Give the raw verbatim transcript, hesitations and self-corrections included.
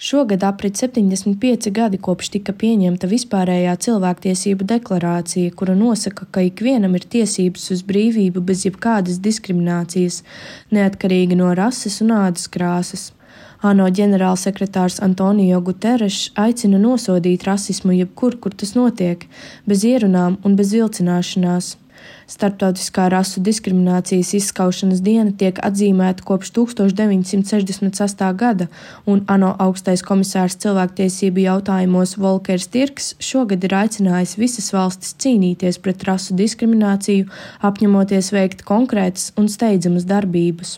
Šogad aprit septiņdesmit pieci gadi, kopš tika pieņemta vispārējā cilvēktiesību deklarācija, kura nosaka, ka ikvienam ir tiesības uz brīvību bez jebkādas diskriminācijas, neatkarīgi no rases un ādas krāsas. ANO ģenerālsekretārs Antonio Guterres aicina nosodīt rasismu jebkur, kur tas notiek, bez ierunām un bez vilcināšanās. Starptautiskā rasu diskriminācijas izskaušanas diena tiek atzīmēta kopš tūkstoš deviņsimt sešdesmit sestā gada, un ANO augstais komisārs cilvēktiesību jautājumos Volkers Tirks šogad ir aicinājis visas valstis cīnīties pret rasu diskrimināciju, apņemoties veikt konkrētas un steidzamas darbības.